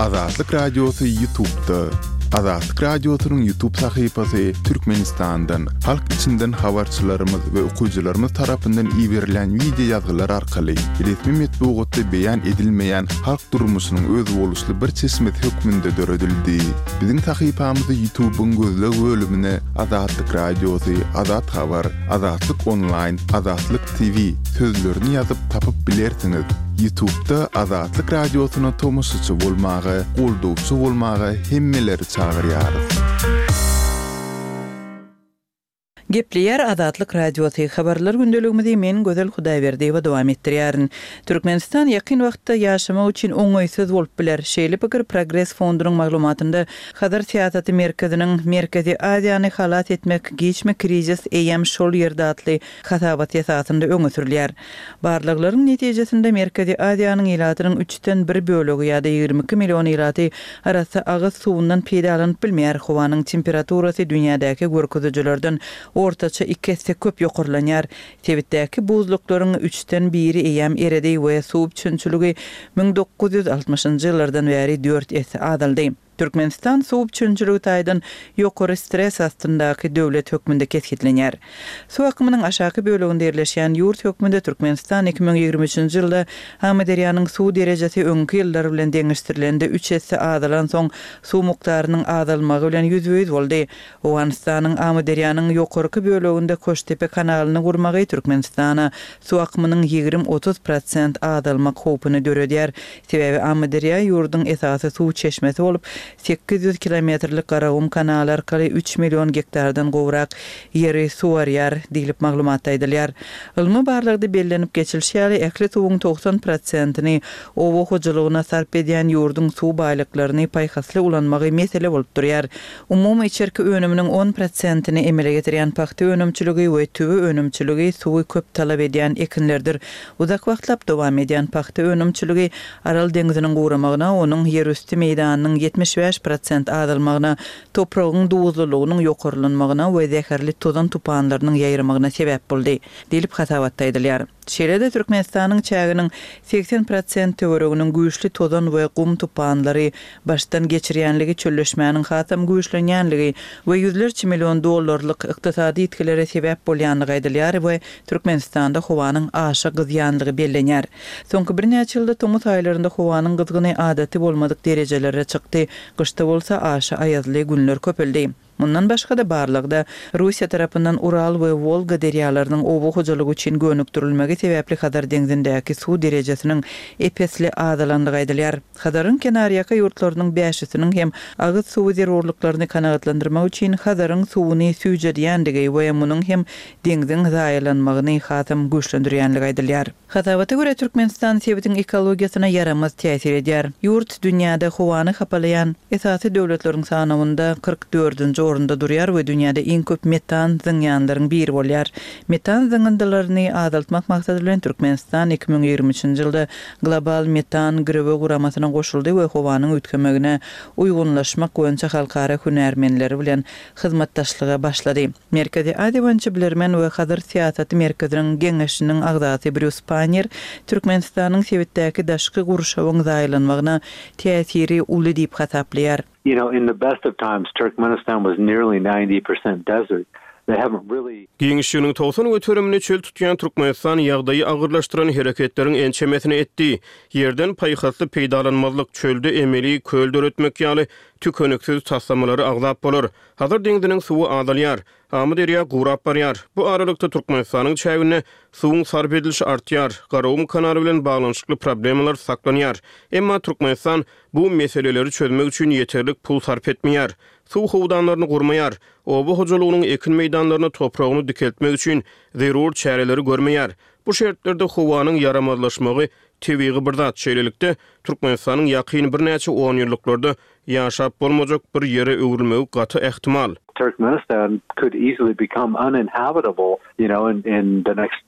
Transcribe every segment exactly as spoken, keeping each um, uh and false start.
Azatlyk Radiosy YouTube'da. Azatlyk Radiosynyň YouTube sahypasy Türkmenistandan, halk içinden habarçylarymyz we okyjylarymyz tarapyndan iberilen wideo ýazgylar arkaly resmi metbugatda beýan edilmeýän halk durmuşynyň özboluşly bir çeşmesi hökmünde döredildi. Biziň sahypamyzy YouTube'yň gözleg bölümine Azatlyk Radiosy, Azat Habar, Azatlyk Online, Azatlyk T V sözlerini ýazyp tapyp bilersiňiz. YouTube'da Azatlyk Radiosyna tomaşaçy bolmaga, goldawçy bolmaga hemmeleri çagyrýarys. Gepleýär Azatlyk Radiosy. Habarlar gündeligimizi men Gözel Hudaýberdiýewa dowam etdirýärin. Türkmenistan ýakyn wagtda ýaşamak üçin oňaýsyz bolup biler. Şeýle pikir Progres fondunyň maglumatynda Hazar syýasaty merkeziniň Merkezi Aziýany halas etmek giçme krizis eýem şol ýerde atly hasabat esasynda öňe sürülýär. Barlaglaryň netijesinde Merkezi Aziýanyň ilatynyň üçden bir bölegi ýa-da ýigrimi iki million ilaty arassa agyz suwundan peýdalanyp bilmeýär. Howanyň temperaturasy dünýädäki görkezijilerden ortaça iki esse köp ýokarlanýar. Sebitdäki buzluklaryň üçden biri eýem eredi we suw üpjünçiligi müň dokuz ýüz altmyşynjy ýyllardan bäri dört esse azaldy. Türkmenistan suw üpjünçiligi taýdan ýokary stres astyndaky döwlet hökmünde kesgitlenýär. Suw akymynyň aşaky böleginde ýerleşýän ýurt hökmünde Türkmenistan iki müň ýigrimi üçünji ýylda Amyderýanyň suw derejesi öňki ýyllar bilen deňeşdirilende üç esse azalan soň suw mukdarynyň azalmagy bilen ýüzbe-ýüz boldy. Owganystanyň Amyderýanyň ýokarky böleginde Koştepe kanalyny gurmagy Türkmenistana suw akymynyň ýigrimi otuz prosent azalmak howpuny döredýär. Sebäbi Amyderýa ýurduň esasy suw çeşmesi bolup, sekiz ýüz kilometrlik Garagum kanaly arkaly üç million gektardan gowrak ýeri suwarýar diýlip maglumatda aýdylýar. Ylmy barlagda bellenip geçilişi ýaly, ähli suwuň togsan prosentini oba hojalygyna sarp edýän ýurduň suw baýlyklaryny paýhasly ulanmagy mesele bolup durýar. Umumy içerki önüminiň on prosentini emele getirýän pagta önümçiligi we tüwe önümçiligi suwy köp talap edýän ekinlerdir. Uzak wagtlap dowam edýän pagta önümçiligi Aral deňziniň guramagyna, onuň ýerüsti meýdanynyň ýetmiş bäş prosent azalmagyna, topragyň duzlulygynyň ýokarlanmagyna we zäherli tozan tupanlarynyň ýaýramagyna sebäp boldy, diýlip hasabatda aýdylýar. Şeýle-de Türkmenistanyň çäginiň seksen prosent töwereginiň güýçli tozan we gum tupanlary başdan geçirýänligi, çölleşmäniň hasam güýçlenýänligi we ýüzlerçe million dollarlyk ykdysady ýitgilere sebäp bolýanlygy aýdylýar we Türkmenistanda howanyň aşa gyzýanlygy bellenýär. Soňky birnäçe ýylda tomus aýlarynda howanyň gyzgyny adaty bolmadyk derejelere çykdy. Gyşda bolsa aşa aýazly günler köpeldi. Mundan başga-da barlagda Russiýa tarapyndan Ural we Wolga derýalarynyň oba hojalygy üçin gönükdirilmegi sebäpli Hazar deňzindäki suw derejesiniň epesli azalanlygy aýdylýar. Hazaryň kenarýaka ýurtlarynyň bäşisiniň hem agyz suwy zerurlyklaryny kanagatlandyrmak üçin Hazaryň suwuny süýjedýändigi we munuň hem deňziň zaýalanmagyny hasam güýçlendirýänligi aýdylýar. Hasabata görä Türkmenistan sebitiň ekologiýasyna ýaramaz täsir edýär. Ýurt dünýäde howany hapalaýan esasy döwletleriň sanawynda kyrk dördünji orunda durýar we dünýäde iň köp metan zyňýanlaryň biri bolýar. Metan zyňyndylaryny azaltmak maksady bilen Türkmenistan iki müň ýigrimi üçünji ýylda global metan girewe guramasyna goşuldy we howanyň üýtgemegine uýgunlaşmak boýunça halkara hünärmenleri bilen hyzmatdaşlyga başlady. Merkezi Aziýa boýunça bilermen we Hazar syýasaty merkeziniň geňeşiniň agzasy Brýus Pannier Türkmenistanyň sebitdäki daşky gurşawyň zaýalanmagyna täsiri uly diýip hasaplaýar. You know, in the best of times, Turkmenistan was nearly ninety percent desert. They haven't really Giňişliginiň togsan göterimini çöl tutýan Türkmenistan ýagdaýy agyrlaşdyran hereketleriň ençemesini etdi. Ýerden paýhasly peýdalanmazlyk, çölde emeli köl döretmek ýaly tükeniksiz taslamalary agzap bolar. Hazar deňziniň suwy azalýar. Amyderýa gurap barýar. Bu aralykda Türkmenistanyň çäginde suwuň sarp edilişi artýar. Garagum kanaly bilen baglanyşykly problemalar saklanýar. Emma Türkmenistan bu meseleleri çözmek üçin ýeterlik pul sarp etmeýär. Suw howdanlaryny gurmaýar. Oba hojalygynyň ekin meýdanlaryny topragyny dikeltmek üçin zerur çäreleri görmeýär. Bu şertlerde howanyň ýaramazlaşmagy tebigy bir zat. Şeýlelikde Türkmenistanyň ýakyn birnäçe on ýyllyklarda ýaşap bolmajak bir ýere öwrülmegi gaty ähtimal. Turkmenistan could easily become uninhabitable, you know, in, in the next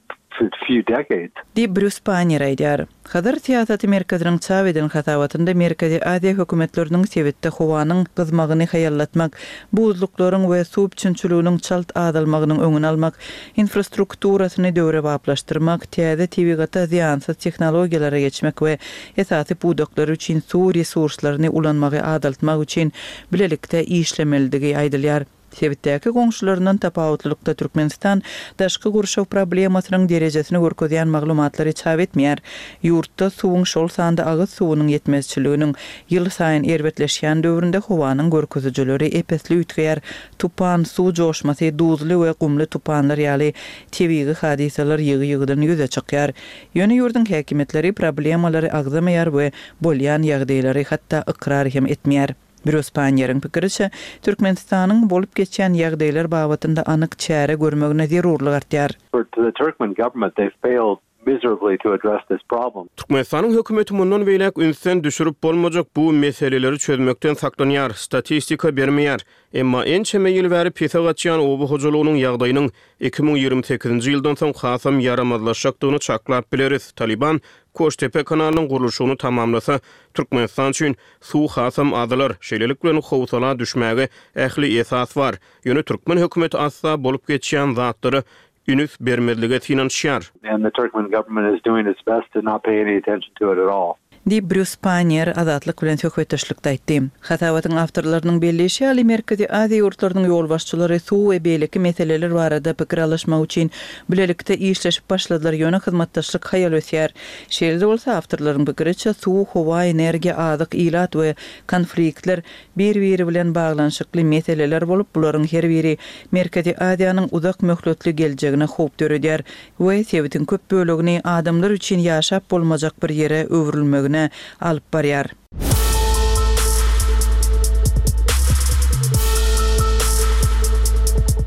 few decades. Diýip, Brýus Panniýer aýdýar. Hazar syýasaty merkeziniň çap eden hasabatynda Merkezi Aziýa hökümetleriniň sebitde howanyň gyzmagyny haýallatmak, buzluklaryň we suw üpjünçiliginiň çalt azalmagynyň öňüni almak, infrastrukturasyny döwrebaplaşdyrmak, täze tebigata zyýansyz tehnologiýalara geçmek we esasy pudaklar üçin suw resurslaryny ulanmagy azaltmak üçin bilelikde işlemelidigi aýdylýar. Sebitdäki goňşularyndan tapawutlylykda Türkmenistan daşky gurşaw problemasynyň derejesini görkezýän maglumatlary çap etmeýär. Ýurtda suwuň, şol sanda agyz suwunyň ýetmezçiliginiň ýylsaýyn erbetleşýän döwründe howanyň görkezijileri ep-esli üýtgeýär. Tupan, suw joşmasy, duzly we gumly tupanlar ýaly tebigy hadysalar ýygy-ýygydan ýüze çykýar. Ýöne ýurduň häkimiýetleri problemalary agzamaýar we bolýan ýagdaýlary hatda ykrar hem etmeýär. Brýus Panniýeriň pikiriçe, Türkmenistanyň bolup geçýän ýagdaýlar babatynda anyk çäre görmegine zerurlyk artýar. For the Turkmen government, they failed miserably to address this problem. Türkmenistanyň hökümeti mundan beýläk ünsden düşürip bolmajak bu meseleleri çözmekden saklanýar, statistika bermeýär. Emma ençeme ýyl bäri pese gaçýan oba hojalygynyň ýagdaýynyň iki müň ýigrimi sekizinji ýyldan soň hasam ýaramazlaşjakdygyny çaklap bileris. Talyban Koştepe kanalynyň gurluşygyny tamamlasa, Türkmenistan üçin suw hasam azalar. Şeýlelik bilen howsala düşmäge ähli esas bar. Ýöne türkmen hökümeti asla bolup geçýän zatlara üns bermezlige synanyşýar. And the Turkmen government is doing its best to not pay any attention to it at all. Diýip, Brýus Panniýer Azatlyk bilen söhbetdeşlikde aýtdy. Hasabatyň awtorlarynyň belleýşi ýaly, Merkezi Aziýa ýurtlarynyň ýolbaşçylary suw we beýleki meseleler barada pikir alyşmak üçin bilelikde işleşip başladylar, ýöne hyzmatdaşlyk haýal ösýär. Şeýle-de bolsa, awtorlaryň pikiriçe, suw, howa, energiýa, azyk, ilat we konfliktler bir-biri bilen baglanyşykly meseleler bolup, bularyň her biri Merkezi Aziýanyň uzak möhletli geljegine howp döredýär we sebitiň köp bölegini adamlar üçin ýaşap bolmajak bir ýere öwrülmegine alyp barýar.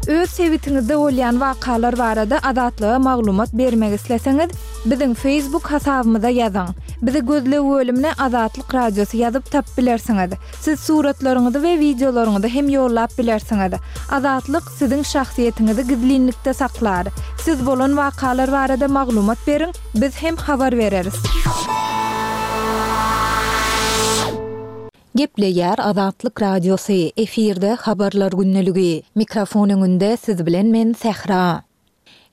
Öz sebitiňizde bolýan wakalar barada Azatlyga maglumat bermek isleseňiz, biziň Facebook hasabymyza ýazyň. Bizi gözleg bölümine Azatlyk Radiosy ýazyp tapyp bilersiňiz. Siz suratlaryňyzy we wideolaryňyzy hem ýollap bilersiňiz. Azatlyk siziň şahsyýetiňizi gizlinlikde saklar. Siz bolan wakalar barada maglumat beriň, biz hem habar bereris. Gepleýär Azatlyk Radiosy, efirde Habarlar gündeligi. Mikrofon öňünde siz bilen men Sähra.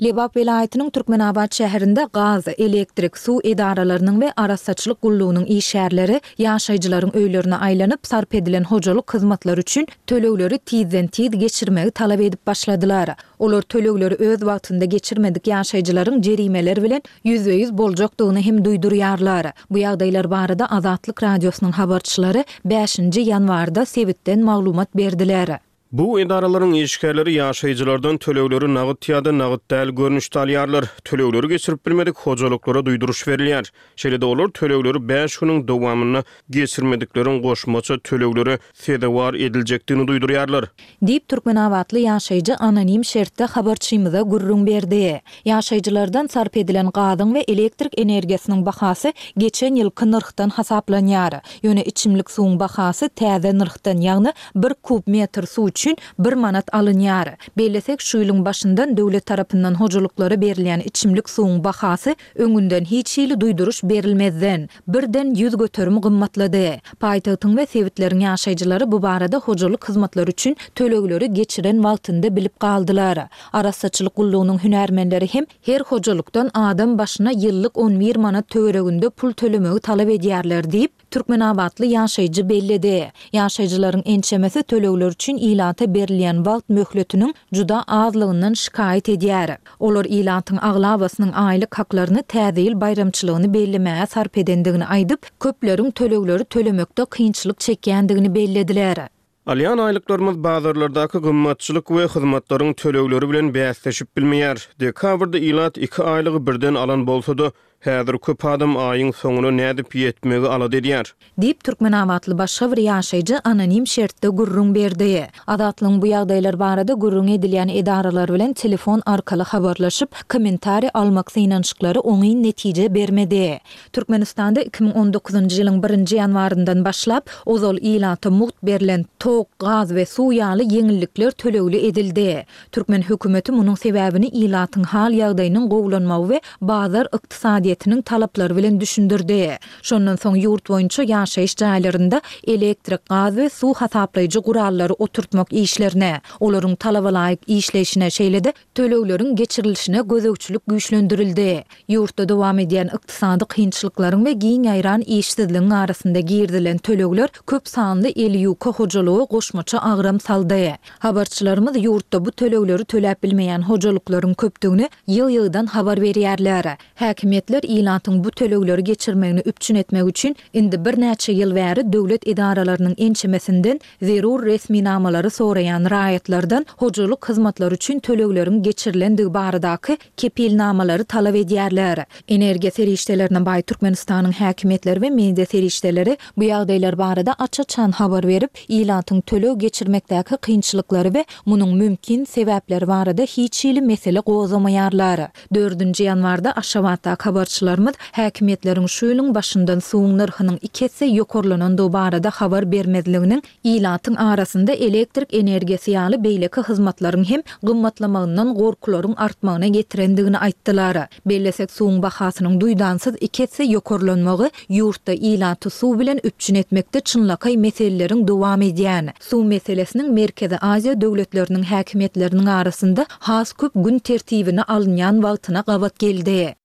Lebap welaýatynyň Türkmenabat şäherinde gaz, elektrik, suw edaralarynyň we arassaçylyk gullugynyň işgärleri ýaşaýjylaryň öýlerine aýlanyp, sarp edilen hojalyk hyzmatlary üçin tölegleri tizden-tiz geçirmegi talap edip başladylar. Olar tölegleri öz wagtynda geçirmedik ýaşaýjylaryň jerimeler bilen ýüzbe-ýüz boljakdygyny hem duýdurýarlar. Bu ýagdaýlar barada Azatlyk Radiosynyň habarçylary bäşinji ýanwarda sebitden maglumat berdiler. Bu edaralaryň işgärleri ýaşaýjylardan tölegleri nagt ýa-da nagt däl görnüşde alýarlar. Tölegleri geçirip bilmedik hojalyklara duýduryş berilýär. Şeýle-de olar tölegleri bäş günüň dowamynda geçirmedikleriň goşmaça töleglere sezewar ediljekdigini duýdurýarlar. Diýip, türkmenabatly ýaşaýjy anonim şertde habarçymyza gürrüň berdi. Ýaşaýjylardan sarp edilen gazyň we elektrik energiýasynyň bahasy geçen ýylky nyrhdan hasaplanýar. Ýöne içimlik suwuň bahasy täze nyrhdan, ýagny bir kub metr suw üçin bir manat alynýar. Bellesek, şu ýylyň başyndan döwlet tarapyndan hojalyklara berilýän içimlik suwuň bahasy öňünden hiç hili duýduryş berilmezden, birden ýüz göterim gymmatlady. Paýtagtyň we sebitleriň ýaşaýjylary bu barada hojalyk hyzmatlary üçin tölegleri geçiren wagtynda bilip galdylar. Arassaçylyk gullugynyň hünärmenleri hem her hojalykdan adam başyna ýyllyk on bir manat töwereginde pul tölemegi talap edýärler diýip, türkmenabatly ýaşaýjy belledi. Ýaşaýjylaryň ençemesi tölegler üçin ilata berilýän wagt möhletiniň juda azlygyndan şikaýat edýär. Olar ilatyň aglabasynyň aýlyk haklaryny Täze ýyl baýramçylygyny bellemäge sarp edendigini aýdyp, köpleriň tölegleri tölemekde kynçylyk çekýändigini bellediler. Alýan aýlyklarymyz bazarlardaky gymmatçylyk we hyzmatlaryň tölegleri bilen bäsleşip bilmeýär. Dekabrda ilat iki aýlygy birden alan bolsa-da, Häzir köp adam aýyň soňuna nädip ýetmegi alada edýär. Diýip, türkmenabatly başga bir ýaşaýjy anonim şertde gürrüň berdi. Azatlygyň bu ýagdaýlar barada gürrüň edilýän edaralar bilen telefon arkaly habarlaşyp, kommentariý almak synanyşyklary oňyn netije bermedi. Türkmenistanda iki müň on dokuzynjy ýylyň birinji ýanwaryndan başlap, ozal ilata mugt berlen tok, gaz we suw ýaly ýeňillikler tölegli edildi. Türkmen hökümeti munuň sebäbini ilatyň hal-ýagdaýynyň gowulanmagy we bazar ykdysadyýetiniň talaplary bilen düşündirdi. Şondan soň ýurt boýunça ýaşaýyş jaýlarynda elektrik, gaz we suw hasaplaýjy gurallary oturtmak işlerine, olaryň talabalaýyk işleýşine, şeýle-de tölegleriň geçirilişine gözegçilik güýçlendirildi. Ýurtda dowam edýän ykdysady kynçylyklaryň we giň ýaýran işsizligiň arasynda girizilen tölegler köp sanly eli ýuka hojalyga goşmaça agram saldy. Habarçylarymyz ýurtda bu tölegleri töläp bilmeýän hojalyklaryň köpdügini ýyl-ýyldan habar berýärler. Häkimiýetler ilatyň bu tölegleri geçirmegini üpjün etmek üçin indi birnäçe ýyl bäri döwlet edaralarynyň ençemesinden zerur resminamalary soraýan raýatlardan hojalyk hyzmatlary üçin tölegleriň geçirilendigi baradaky kepilnamalary talap edýärler. Energiýa serişdelerine baý Türkmenistanyň häkimiýetleri we media serişdeleri bu ýagdaýlar barada aç-açan habar berip, ilatyň töleg geçirmekdäki kynçylyklary we munuň mümkin sebäpleri barada hiç hili mesele gozgamaýarlar. Dördünji ýanwarda Aşgabatdaky habarçylarymyz häkimiýetleriň şu ýylyň başyndan suwuň nyrhynyň iki esse ýokarlanandygy barada habar bermezliginiň ilatyň arasynda elektrik energiýasy ýaly beýleki hyzmatlaryň hem gymmatlamagyndan gorkularyň artmagyna getirendigini aýtdylar. Bellesek, suwuň bahasynyň duýdansyz iki esse ýokarlanmagy ýurtda ilaty suw bilen üpjün etmekde çynlakaý meseleleriň dowam edýän, suw meselesiniň Merkezi Aziýa döwletleriniň häkimiýetleriniň arasynda has köp gün tertibine alynýan wagtyna gabat geldi.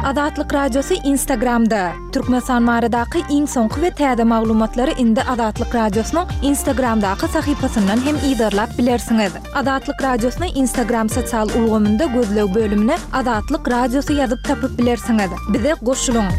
Azatlyk Radiosy Instagramda. Türkmenistan baradaky iň soňky we täze maglumatlary indi Azatlyk Radiosynyň Instagramdaky sahypasyndan hem yzarlap bilersiňiz. Azatlyk Radiosyny Instagram sosial ulgamynda gözleg bölümine Azatlyk Radiosy ýazyp tapyp bilersiňiz. Bize goşulyň!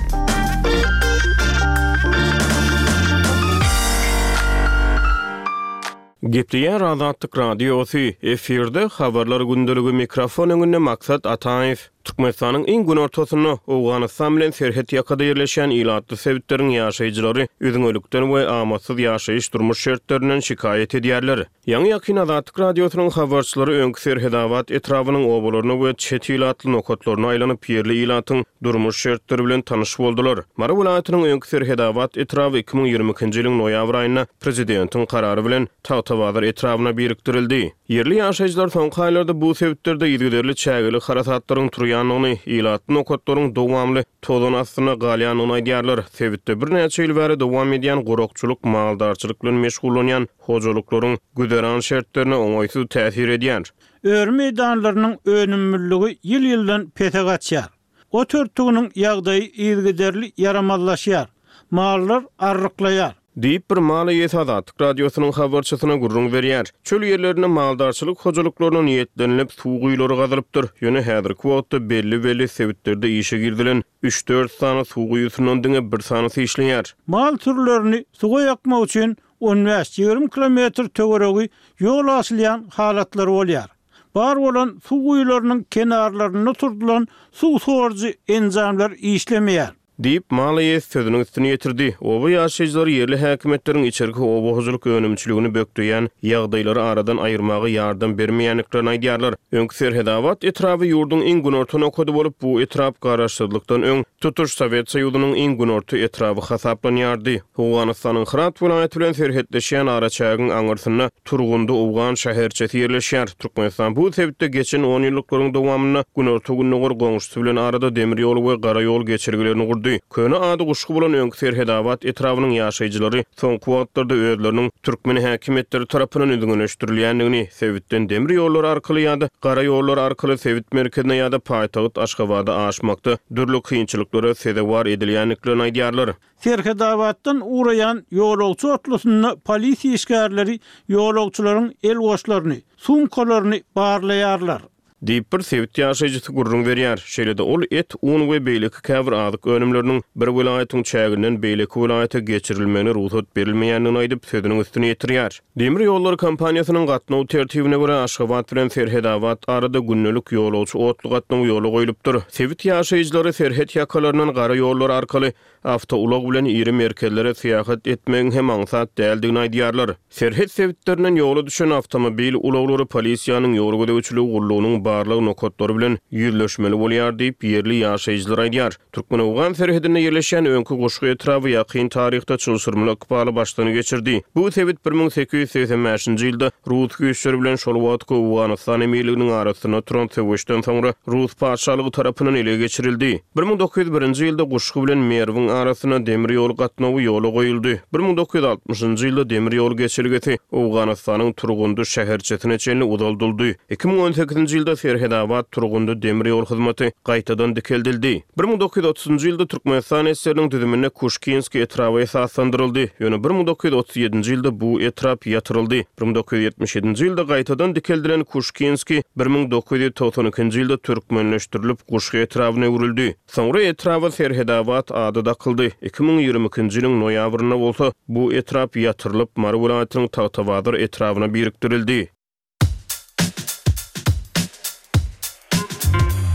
Gepleýär Azatlyk Radiosy, efirde Habarlar gündeligi, mikrofon öňünde Maksat Ataýew. Türkmenistanyň iň günortasynda, Owganystan bilen serhet ýakada ýerleşýän ilatly sebitleriň ýaşaýjylary üzňelikden we amatsyz ýaşaýyş durmuş şertlerinden şikaýat edýärler. Ýaňy-ýakyn Azatlyk Radiosynyň habarçylary öňki Serhedabat etrabynyň obalaryna we çet ilatly nokatlaryna aýlanyp, ýerli ilatyň durmuş şertleri bilen tanyş boldular. Mary welaýatynyň öňki Serhedabat etraby iki müň ýigrimi ikinji ýylyň noýabr aýynda prezidentiň karary bilen Tagtabazar etrabyna birikdirildi. Ýerli ýaşaýjylar soňky aýlarda bu sebitlerde yzygiderli çägeli harasatlaryň turýandygyny, ilatly nokatlaryň dowamly tozan astynda galýandygyny aýdýarlar. Sebitde birnäçe ýyl bäri dowam edýän gurakçylyk, maldarçylyk bilen meşgullanýan hojalyklaryň güzeran şertlerine oňaýsyz täsir edýär. Öri meýdanlarynyň önümliligi ýyl-ýyldan pese gaçýar. Ot örtüginiň ýagdaýy yzygiderli ýaramazlaşýar. Mallar arryklaýar. Diýip, bir mal eýesi Azatlyk Radiosynyň habarçysyna gürrüň berýär. Çöl ýerlerinde maldarçylyk hojalyklaryna niýetlenilip suw guýulary gazylypdyr. Ýöne häzirki wagtda belli-belli sebitlerde işe girizilen üç-dört sany suw guýusyndan diňe bir sanysy işleýär. Mal sürülerini suwa ýakmak üçin on bäş-ýigrimi kilometr töweregi ýol aşylýan halatlar bolýar. Bar bolan suw guýularynyň kenarlarynda oturdylan suw sorujy enjamlar işlemeýär. Diýip, mal eýesi sözüniň üstüni ýetirdi. Oba ýaşaýjylary ýerli häkimiýetleriň içerki oba hojalyk önümçiligini bökdeýän ýagdaýlary aradan aýyrmaga ýardam bermeýändiklerini aýdýarlar. Öňki Serhedabat etraby ýurduň iň günorta nokady bolup, bu etrap garaşsyzlykdan öň tutuş Sowet Soýuzynyň iň günorta etraby hasaplanýardy. Owganystanyň Hyrat welaýaty bilen serhetleşýän araçägiň aňyrsynda Turgundy owgan şäherçesi ýerleşýär. Türkmenistan bu sebitde geçen on ýyllyklaryň dowamynda günorta-gündogar goňşusy bilen arada demir ýol we gara ýol geçelgelerini gurdy. Köne ady Guşgy bolan öňki Serhedabat etrabynyň ýaşaýjylary soňky wagtlarda özleriniň türkmen häkimiýetleri tarapyndan üzňeleşdirilýändigini, sebitden demir ýollary arkaly ýa-da gara ýollar arkaly sebit merkezine ýa-da paýtagt Aşgabada aşmakda dürli kynçylyklara sezewar edilýändiklerini aýdýarlar. Serhedabatdan ugraýan ýolagçy otlusynda polisiýa işgärleri ýolagçylaryň el goşlaryny, sumkalaryny barlaýarlar. Diýip, bir sebit ýaşaýjysy gürrüň berýär. Şeýle-de ol et, un we beýleki käbir azyk önümleriniň bir welaýatyň çäginden beýleki welaýata geçirilmegine rugsat berilmeýändigini aýdyp, sözüniň üstüni ýetirýär. Demir ýollary kompaniýasynyň gatnaw tertibine görä, Aşgabat bilen Serhedabat arada gündelik ýolagçy otly gatnawy ýola goýlupdyr. Sebit ýaşaýjylary serhet ýakalaryndan gara ýollar arkaly awtoulag bilen iri merkezlere syýahat etmegiň hem aňsat däldigini aýdýarlar. Serhet sebitlerinden ýola düşen awtomobil ulaglary polisiýanyň ýol gözegçiligi gullugynyň barlag nokatlary bilen ýüzleşmeli bolýar diýip, ýerli ýaşaýjylar aýdýar. Türkmen-owgan serhedinde ýerleşýän öňki Guşgy etraby ýakyn taryhda çylşyrymly ykbaly başdan geçirdi. Bu sebit bir müň sekiz ýüz segsen bäşinji ýylda rus güýçleri bilen şol wagtky Owganystan emirliginiň arasynda turan söweşden soňra rus patyşalygy tarapyndan ele geçirildi. Bir müň dokuz ýüz birinji ýylda Guşgy bilen Merwiň arasynda demir ýol gatnawy ýola goýuldy. Bir müň dokuz ýüz altmyşynjy ýylda demir ýol geçelgesi Owganystanyň Turgundy şäherçesine çenli uzaldyldy. Iki müň on sekizinji ýylda Serhedabat-Turgundy demir ýol hyzmaty gaýtadan dikeldildi. Bir müň dokuz ýüz otuzynjy ýylda Türkmenistan SSR-niň düzüminde Kuşkinskiý etraby esaslandyryldy. Ýöne bir müň dokuz ýüz otuz ýedinji ýylda bu etrap ýatyryldy. Bir müň dokuz ýüz ýetmiş ýedinji ýylda gaýtadan dikeldilen Kuşkinskiý bir müň dokuz ýüz togsan ikinji ýylda türkmenleşdirilip Guşgy etrabyna öwrüldi. Soňra etraba Serhedabat ady dakyldy. Iki müň ýigrimi ikinji ýylyň noýabrynda bolsa bu etrap ýatyrylyp, Mary welaýatynyň Tagtabazar etrabyna birikdirildi.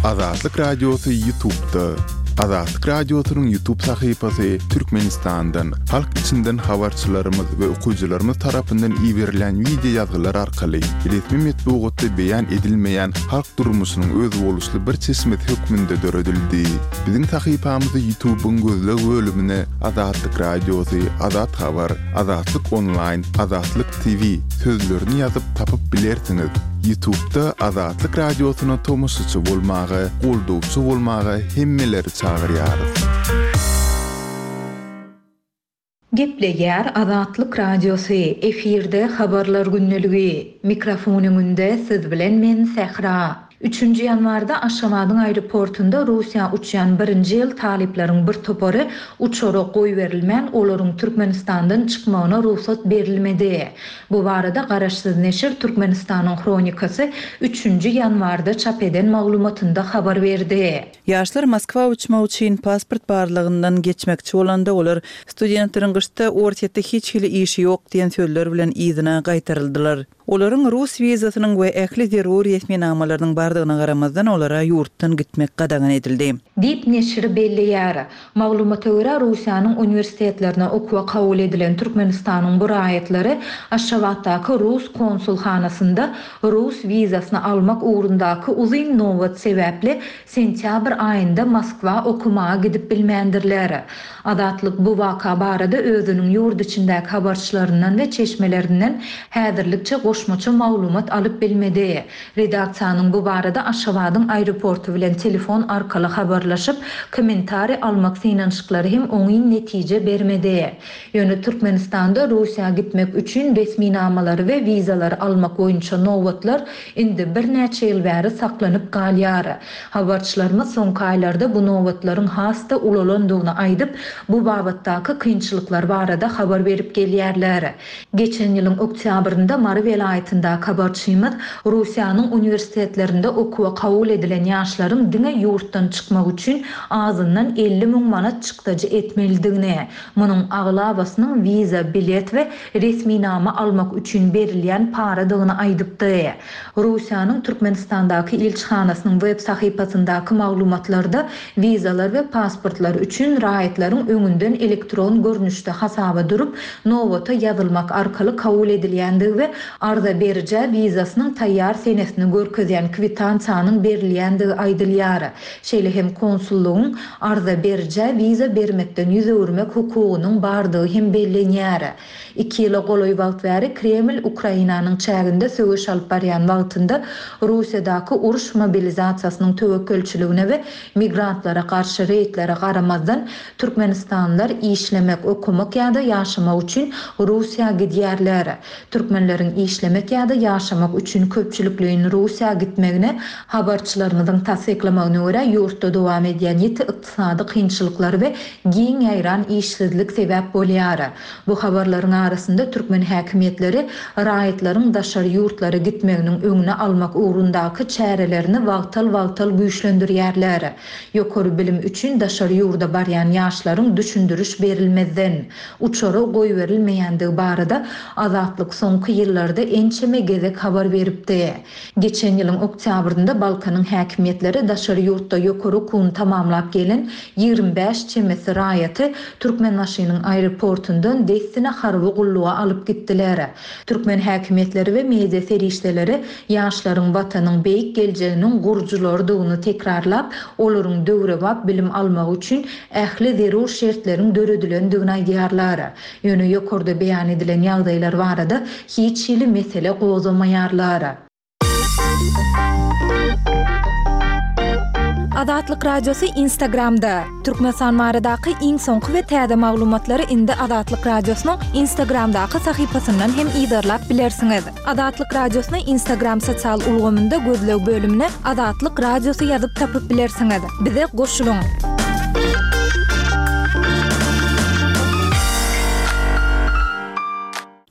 Azatlyk Radiosy YouTube'da. Azatlyk Radiosynyň YouTube sahypasy Türkmenistandan, halk içinden habarçylarymyz we okyjylarymyz tarapyndan iberilýän wideo ýazgylar arkaly resmi metbugatda beýan edilmeýän halk durmuşynyň özboluşly bir çeşmesi hökmünde döredildi. Biziň sahypamyzy YouTube'yň gözleg bölümine Azatlyk Radiosy, Azat Habar, Azatlyk Onlaýn, Azatlyk T V sözlerini ýazyp tapyp bilersiňiz. YouTube'da Azatlyk Radiosyna tomaşaçy bolmaga, goldawçy bolmaga hemmeleri çagyrýarys. Gepleýär Azatlyk Radiosy, efirde Habarlar gündeligi. Mikrofon öňünde siz bilen men Sähra. Üçünji ýanwarda Aşgabadyň aeroportunda Russiýa uçýan birinji ýyl talyplaryň bir topary uçara goýberilmän, olaryň Türkmenistandan çykmagyna rugsat berilmedi. Bu barada garaşsyz neşir Türkmenistanyň Hronikasy üçünji ýanwarda çap eden maglumatynda habar berdi. Ýaşlar Moskwa uçmak üçin pasport barlagyndan geçmekçi bolanda, olar studentleriň gyşda Orsýetde hiç hili işi ýok diýen sözler bilen yzyna gaýtaryldylar. Olaryň rus wizasynyň we ähli zerur resminamalarynyň bardygyna garamazdan, olara ýurtdan gitmek gadagan edildi. Diýip, neşir belleýär. Maglumata görä, Russiýanyň uniwersitetlerine okuwa kabul edilen Türkmenistanyň bu raýatlary Aşgabatdaky rus konsulhanasynda rus wizasyny almak ugrundaky uzyn nobat sebäpli sentýabr aýynda Moskwa okamaga gidip bilmändirler. Azatlyk bu waka barada özüniň ýurt içindäki habarçylaryndan we çeşmelerinden häzirlikçe goşmaça maglumat alyp bilmedi. Redaksiýanyň bu barada Aşgabadyň aeroporty bilen telefon arkaly habarlaşyp, kommentariý almak synanyşyklary hem oňyn netije bermedi. Ýöne Türkmenistanda Russiýa gitmek üçin resminamalary we wizalary almak boýunça nobatlar indi birnäçe ýyl bäri saklanyp galýar. Habarçylarymyz soňky aýlarda bu nobatlaryň has-da ulalandygyny aýdyp, bu babatdaky kynçylyklar barada habar berip gelýärler. Geçen ýylyň oktýabrynda Mary welaýatyndaky habarçymyz Russiýanyň uniwersitetlerinde okuwa kabul edilen ýaşlaryň diňe ýurtdan çykmak üçin azyndan elli müň manat çykdajy etmelidigini, munuň aglabasynyň wiza, bilet we resminama almak üçin berilýän paradygyny aýdypdy. Russiýanyň Türkmenistandaky ilçihanasynyň web sahypasyndaky maglumatlarda wizalar we pasportlar üçin raýatlaryň öňünden elektron görnüşde hasaba durup, nobata ýazylmak arkaly kabul edilýändigi we arza berijä wizasynyň taýýar senesini görkezýän kwitansiýanyň berilýändigi aýdylýar. Şeýle hem konsullygyň arza berijä wiza bermekden ýüz öwürmek hukugynyň bardygy hem bellenýär. Iki ýyla golaý wagt bäri Kreml Ukrainanyň çäginde söweş alyp barýan wagtynda Russiýadaky uruş mobilizasiýasynyň töwekgelçiligine we migrantlara garşy reýdlere garamazdan, türkmenistanlylar işlemek, okamak ýa-da ýaşamak üçin Russiýa gidýärler. Türkmenleriň işlemek işlemek ýa-da ýaşamak üçin köpçülikleýin Russiýa gitmegine, habarçylarymyzyň tassyklamagyna görä, ýurtda dowam edýän ýiti ykdysady kynçylyklar we giň ýaýran işsizlik sebäp bolýar. Bu habarlaryň arasynda türkmen häkimiýetleri raýatlaryň daşary ýurtlara gitmeginiň öňüni almak ugrundaky çärelerini wagtal-wagtal güýçlendirýärler. Ýokary bilim üçin daşary ýurda barýan ýaşlaryň düşündiriş berilmezden, uçara goýberilmeýändigi barada Azatlyk soňky ýyllarda ençeme gezek habar beripdi. Geçen ýylyň oktýabrynda Balkanyň häkimiýetleri daşary ýurtda ýokary okuwyny tamamlap gelen ýigrimi bäş çemesi raýaty Türkmenbaşynyň aeroportundan dessine harby gulluga alyp gitdiler. Türkmen häkimiýetleri we media serişdeleri ýaşlaryň Watanyň beýik geljeginiň gurujylarydygyny tekrarlap, olaryň döwrebap bilim almagy üçin ähli zerur şertleriň döredilendigini aýdýarlar. Ýöne ýokarda beýan edilen ýagdaýlar barada hiç hili mesele gozgamaýarlar. Azatlyk Radiosy Instagramda! Türkmenistan baradaky iň soňky we täze maglumatlary indi Azatlyk Radiosynyň Instagramdaky sahypasyndan hem yzarlap bilersiňiz. Azatlyk Radiosyny Instagram sosial ulgamynda gözleg bölümine Azatlyk Radiosy ýazyp tapyp bilersiňiz. Bize goşulyň!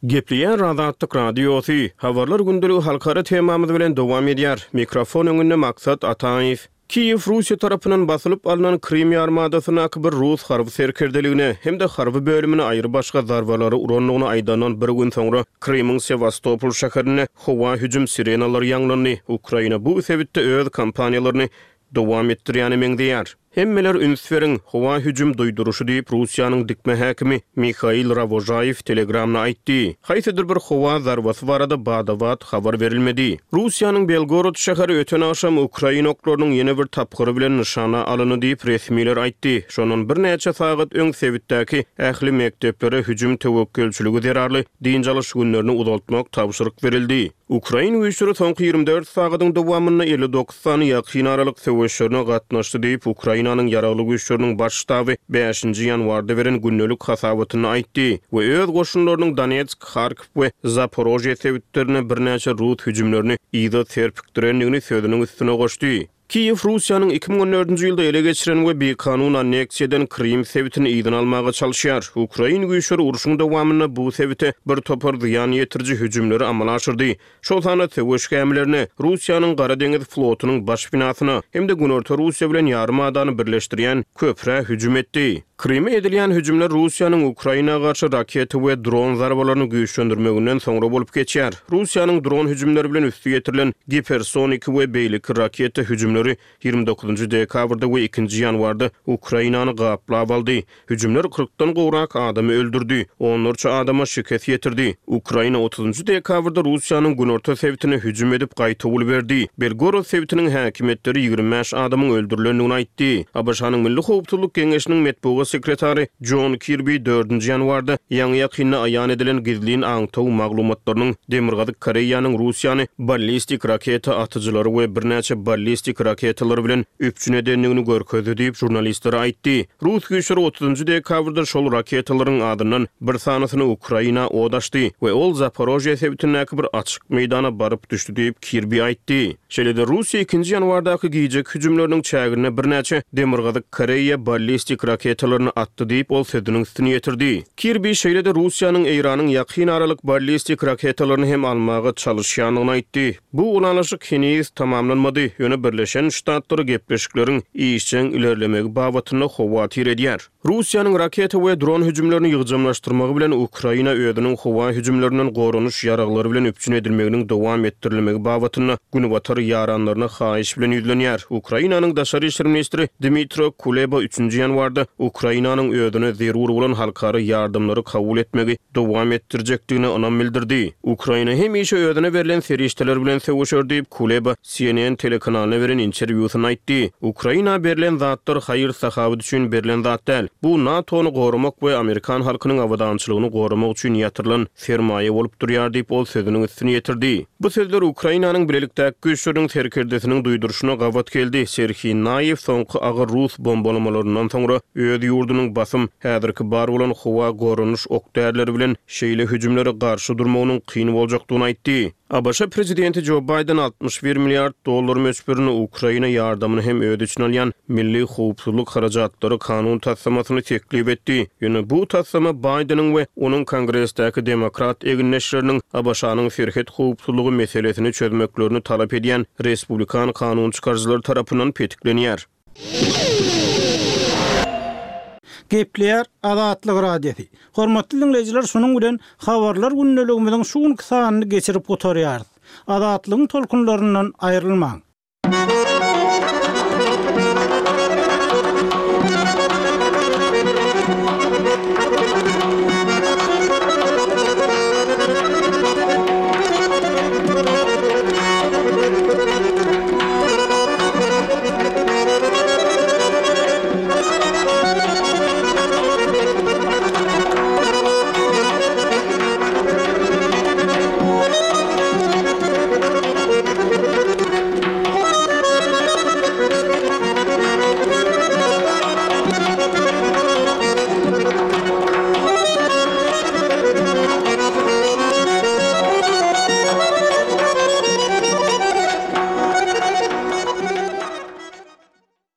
Gepleýär Azatlyk Radiosy, Habarlar gündeligi halkara temamyz bilen dowam edýär. Mikrofon öňünde Maksat Ataýew. Kiýew Russiýa tarapyndan basylyp alnan Krym ýarymadasyndaky bir rus harby serkerdeligine hem-de harby bölümine aýrybaşga zarbalary urandygyny aýdandan bir gün soňra Krymyň Sewastopol şäherinde howa hüjüm sirenalary ýaňlandy. Ukraina bu sebitde öz kampaniýalaryny dowam etdirýäne meňzeýär. Hemmeler üns beriň, howa hüjüm duýduryşy diýip, Russiýanyň dikme häkimi Mihail Rawožaýew Telegramda aýtdy. Haýsydyr bir howa zarbasy barada bada-bat habar berilmedi. Russiýanyň Belgorod şäheri öten agşam ukrain oklarynyň ýene bir tapgyry bilen nyşana alyndy diýip, resmiler aýtdy. Şondan birnäçe sagat öň sebitdäki ähli mekdeplere hüjüm töwekgelçiligi zerarly dynç alyş günlerini uzaltmak tabşyryk berildi. Ukrain güýçleri soňky ýigrimi dört sagadyň dowamynda elli dokuz sany ýakyn aralyk söweşlerine gatnaşdy diýip, Ukrainanyň Ýaragly Güýçleriniň Baş ştaby bäşinji ýanwarda beren gündelik hasabatynda aýtdy we öz goşunlarynyň Donetsk, Harkow we Zaporožýe sebitlerinde birnäçe rus hüjümlerini yza serpikdirendigini sözüniň üstüne goşdy. Kiýew Russiýanyň iki müň on dördünji ýylda ele geçiren we bikanun anneksiýa eden Krym sebitini yzyna almaga çalyşýar. Ukrain güýçleri urşuň dowamynda bu sebite bir topar zyýan ýetiriji hüjümleri amala aşyrdy, şol sanda söweş gämilerine, Russiýanyň Gara deňiz flotunyň baş binasyna hem-de Günorta Russiýa bilen ýarym adany birleşdirýän köprä hüjüm etdi. Kryma edilýän hüjümler Russiýanyň Ukraina garşy raketa we dron zarbalaryny güýçlendirmeginden soňra bolup geçýär. Russiýanyň dron hüjümleri bilen üsti ýetirilen gipersoniki we beýleki raketa hüjümleri ýigrimi dokuzynjy dekabrda we ikinji ýanwarda Ukrainany gaplap aldy. Hüjümler kyrkdan gowrak adamy öldürdi, onlarça adama şikes ýetirdi. Ukraina otuzynjy dekabrda Russiýanyň günorta sebitine hüjüm edip gaýtawul berdi. Belgorod sebitiniň häkimiýetleri ýigrimi bäş adamyň öldürilendigini aýtdy. ABŞ-nyň Milli howpsuzlyk geňeşiniň metbugat sekretary Jon Kirbi dördünji ýanwarda ýaňy-ýakynda aýan edilen gizlin aňtaw maglumatlarynyň Demirgazyk Koreýanyň Russiýany ballistik raketa atyjylary we birnäçe ballistik raketalary bilen üpjün edendigini görkezdi diýip, žurnalistlere aýtdy. Rus güýçleri otuzynjy dekabrda şol raketalaryň adyndan bir sanysyny Ukraina od açdy we ol Zaporožýe sebitindäki bir açyk meýdana baryp düşdi diýip, Kirbi aýtdy. Şeýle-de, Russiýa ikinji ýanwardaky gijeki hüjümleriniň çäginde birnäçe Demirgazyk Koreýa ballistik raketalaryny atdy diýip, ol sözüniň üstüni ýetirdi. Kirbi şeýle-de Russiýanyň Eýranyň ýakyn aralyk ballistik raketalaryny hem almaga çalyşýandygyny aýtdy. Bu ylalaşyk heniz tamamlanmady, ýöne Birleşen Ştatlary gepleşikleriň işjeň ilerlemegi babatynda howatyr edýär. Russiýanyň raketa we dron hüjümlerini ýygjamlaşdyrmagy bilen Ukraina özüniň howa hüjümlerinden goranyş ýaraglary bilen üpjün edilmeginiň dowam etdirilmegi babatynda Günbatar ýaranlaryna haýyş bilen ýüzlenýär. Ukrainanyň daşary işler ministri Dmitro Kuleba üçünji ýanwarda Ukrainanyň özüne zerur bolan halkara ýardamlary kabul etmegi dowam etdirjekdigine ynam bildirdi. Ukraina hemişe özüne berlen serişdeler bilen söweşer diýip, Kuleba C N N telekanalyna beren interwýusynda aýtdy. Ukraina berlen zatlar haýyr-sahawat üçin berlen zat däl. Bu NATO-ny goramak we amerikan halkynyň abadançylygyny goramak üçin ýatyrylan sermaýa bolup durýar diýip, ol sözüniň üstüni ýetirdi. Bu sözler Ukrainanyň Bilelikdäki güýçleriniň serkerdesiniň duýduryşyna gabat geldi. Serhiý Naýew soňky agyr rus bombalamalaryndan soňra öz ýurdunyň basym häzirki bar bolan howa goranyş ok-därileri bilen şeýle hüjümlere garşy durmagynyň kyn boljakdygyny aýtdy. ABŞ prezidenti Jo Baýden altmyş bir milliard dollar möçberinde Ukraina ýardamyny hem öz içine alýan milli howpsuzlyk harajatlary kanun taslamasyny teklip etdi. Ýöne bu taslama Baýdeniň we onuň Kongresdäki demokrat egindeşleriniň ABŞ-nyň serhet howpsuzlygy meselesini çözmeklerini talap edýän respublikan kanunçykaryjylary tarapyndan petiklenýär. Gepleýär Azatlyk Radiosy. Hormatly diňleýjiler, şunuň bilen Habarlar gündeligimiziň şu günki sanyny geçirip gutarýarys. Azatlygyň tolkunlaryndan aýrylmaň!